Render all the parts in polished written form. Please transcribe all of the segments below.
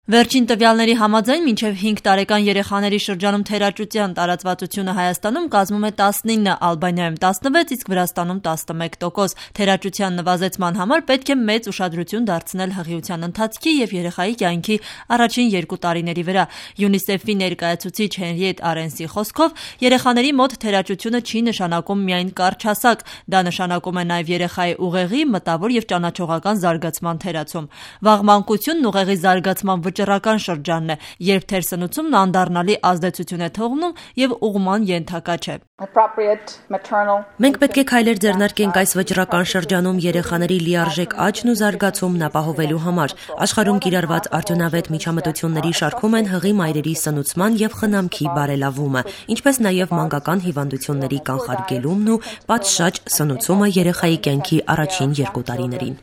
Վերջին տվյալների համաձայն մինչև 5 տարեկան երեխաների շրջանում թերաճության տարածվածությունը Հայաստանում կազմում է 19, Ալբանիայում 16, իսկ Վրաստանում 11%։ Թերաճության նվազեցման համար պետք է մեծ ուշադրություն դարձնել հղիության ընթացքի և երեխայի կյանքի առաջին 2 տարիների վրա։ ՅՈՒՆԻՍԵՖ-ի ներկայացուցիչ Հենրիետ Արենսի խոսքով, երեխաների մոտ թերաճությունը չի նշանակում միայն կարճ հասակ, դա նշանակում է նաև երեխայի ուղեղի, մտավոր և ճանաչողական զարգացման թերացում։ Վաղ մանկությունն ուղեղի զարգացման վճռական շրջանն է, երբ թերսնուցումն անդառնալի ազդեցություն է թողնում և ուղղման ենթակա չէ։ Մենք պետք է քայլեր ձեռնարկենք այս վճռական շրջանում երեխաների լիարժեք աճն ու զարգացումն ապահովելու համար։ Աշխարհում կիրառված արդյունավետ միջամտությունների շարքում են հղի մայրերի սնուցման և խնամքի բարելավումը, ինչպես նաև մանկական հիվանդությունների կանխարգելումն ու պատշաճ սնուցումը երեխայի կյանքի առաջին 2 տարիներին։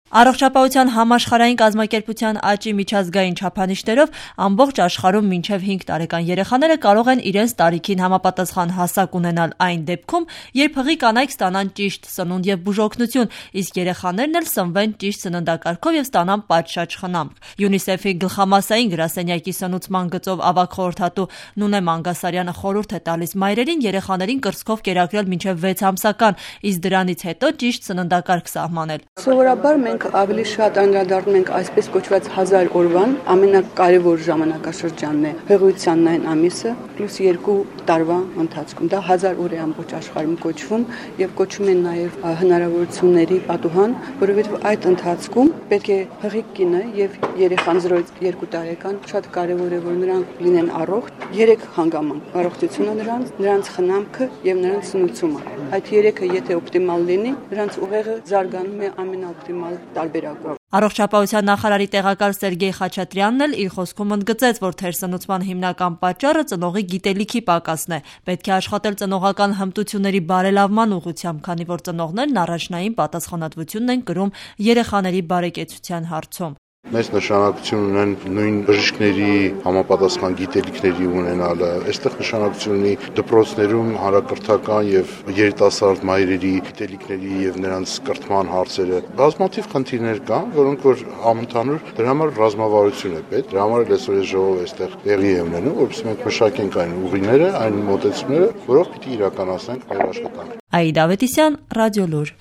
Առողջապահության համաշխարհային կազմակերպության ԱՃ-ի միջազգային չափանիշներով ամբողջ աշխարհում մինչև 5 տարեկան երեխաները կարող են իրենց տարիքին համապատասխան հասակ ունենալ այն դեպքում, երբ հղի կանայք ստանան ճիշտ սնունդ և բուժօգնություն, իսկ երեխաներն էլ սնվեն ճիշտ սննդակարգով և ստանան պատշաճ խնամք։ ՅՈՒՆԻՍԵՖ-ի գլխամասային գրասենյակի սնուցման գծով ավագ խորհրդատու Նունե Մանգասարյանը խորհուրդ է տալիս մայրերին երեխաներին կրծքով կերակրել մինչև 6 ամսական, իսկ դրանից հետո ճիշտ սննդակարգ սահմանել։ Սովորաբար մենք ավելի շատ անդրադառնում ենք այսպես կոչված 1000 օրվան, ամենակարևոր ժամանակաշրջանն է հղիության 9 ամիսը պլյուս 2 տարվա ընթացքում։ Դա 1000 օր է ամբողջ աշխարհում կոչվում եւ կոչվում են նաեւ հնարավորությունների պատուհան, որովհետեւ այդ ընթացքում պետք է հղի կինը եւ երեխան 0-2 տարեկան շատ կարևոր է, որ նրանք լինեն առողջ, 3 հանգամանք՝ առողջությունը նրանց խնամքը եւ նրանց սնուցումը։ Այդ 3-ը եթե օպտիմալ լինի, նրանց ուղեղը զարգանում է ամենաօպտիմալ տարբերակով։ Առողջապահության նախարարի տեղակալ Սերգեյ Խաչատրյանն էլ իր խոսքում ընդգծեց, որ թերսնուցման հիմնական պատճառը ծնողի գիտելիքի պակասն է։ Պետք է աշխատել ծնողական հմտությունների բարելավման ուղղությամբ, քանի որ ծնողներն առաջնային պատասխանատվությունն են կրում երեխաների բարեկեցության հարցում։ Մեծ նշանակություն ունեն նույն բժիշկների համապատասխան գիտելիքների ունենալը, այստեղ նշանակություն ունի դպրոցներում հանրակրթական եւ երիտասարդ մայրերի գիտելիքների եւ նրանց կրթման հարցերը։ Բազմաթիվ խնդիրներ կան, որոնք որ համընդհանուր դրա համար ռազմավարություն է պետք։ Դրա համար էլ այսօր այս ժողովը այստեղ տեղի է ունենում, որովհետեւ մենք մշակենք այն ուղիները, այն մոտեցումները, որով պիտի իրականացնենք մեր աշխատանքը։ Աիդա Ավետիսյան, Ռադիոլուր։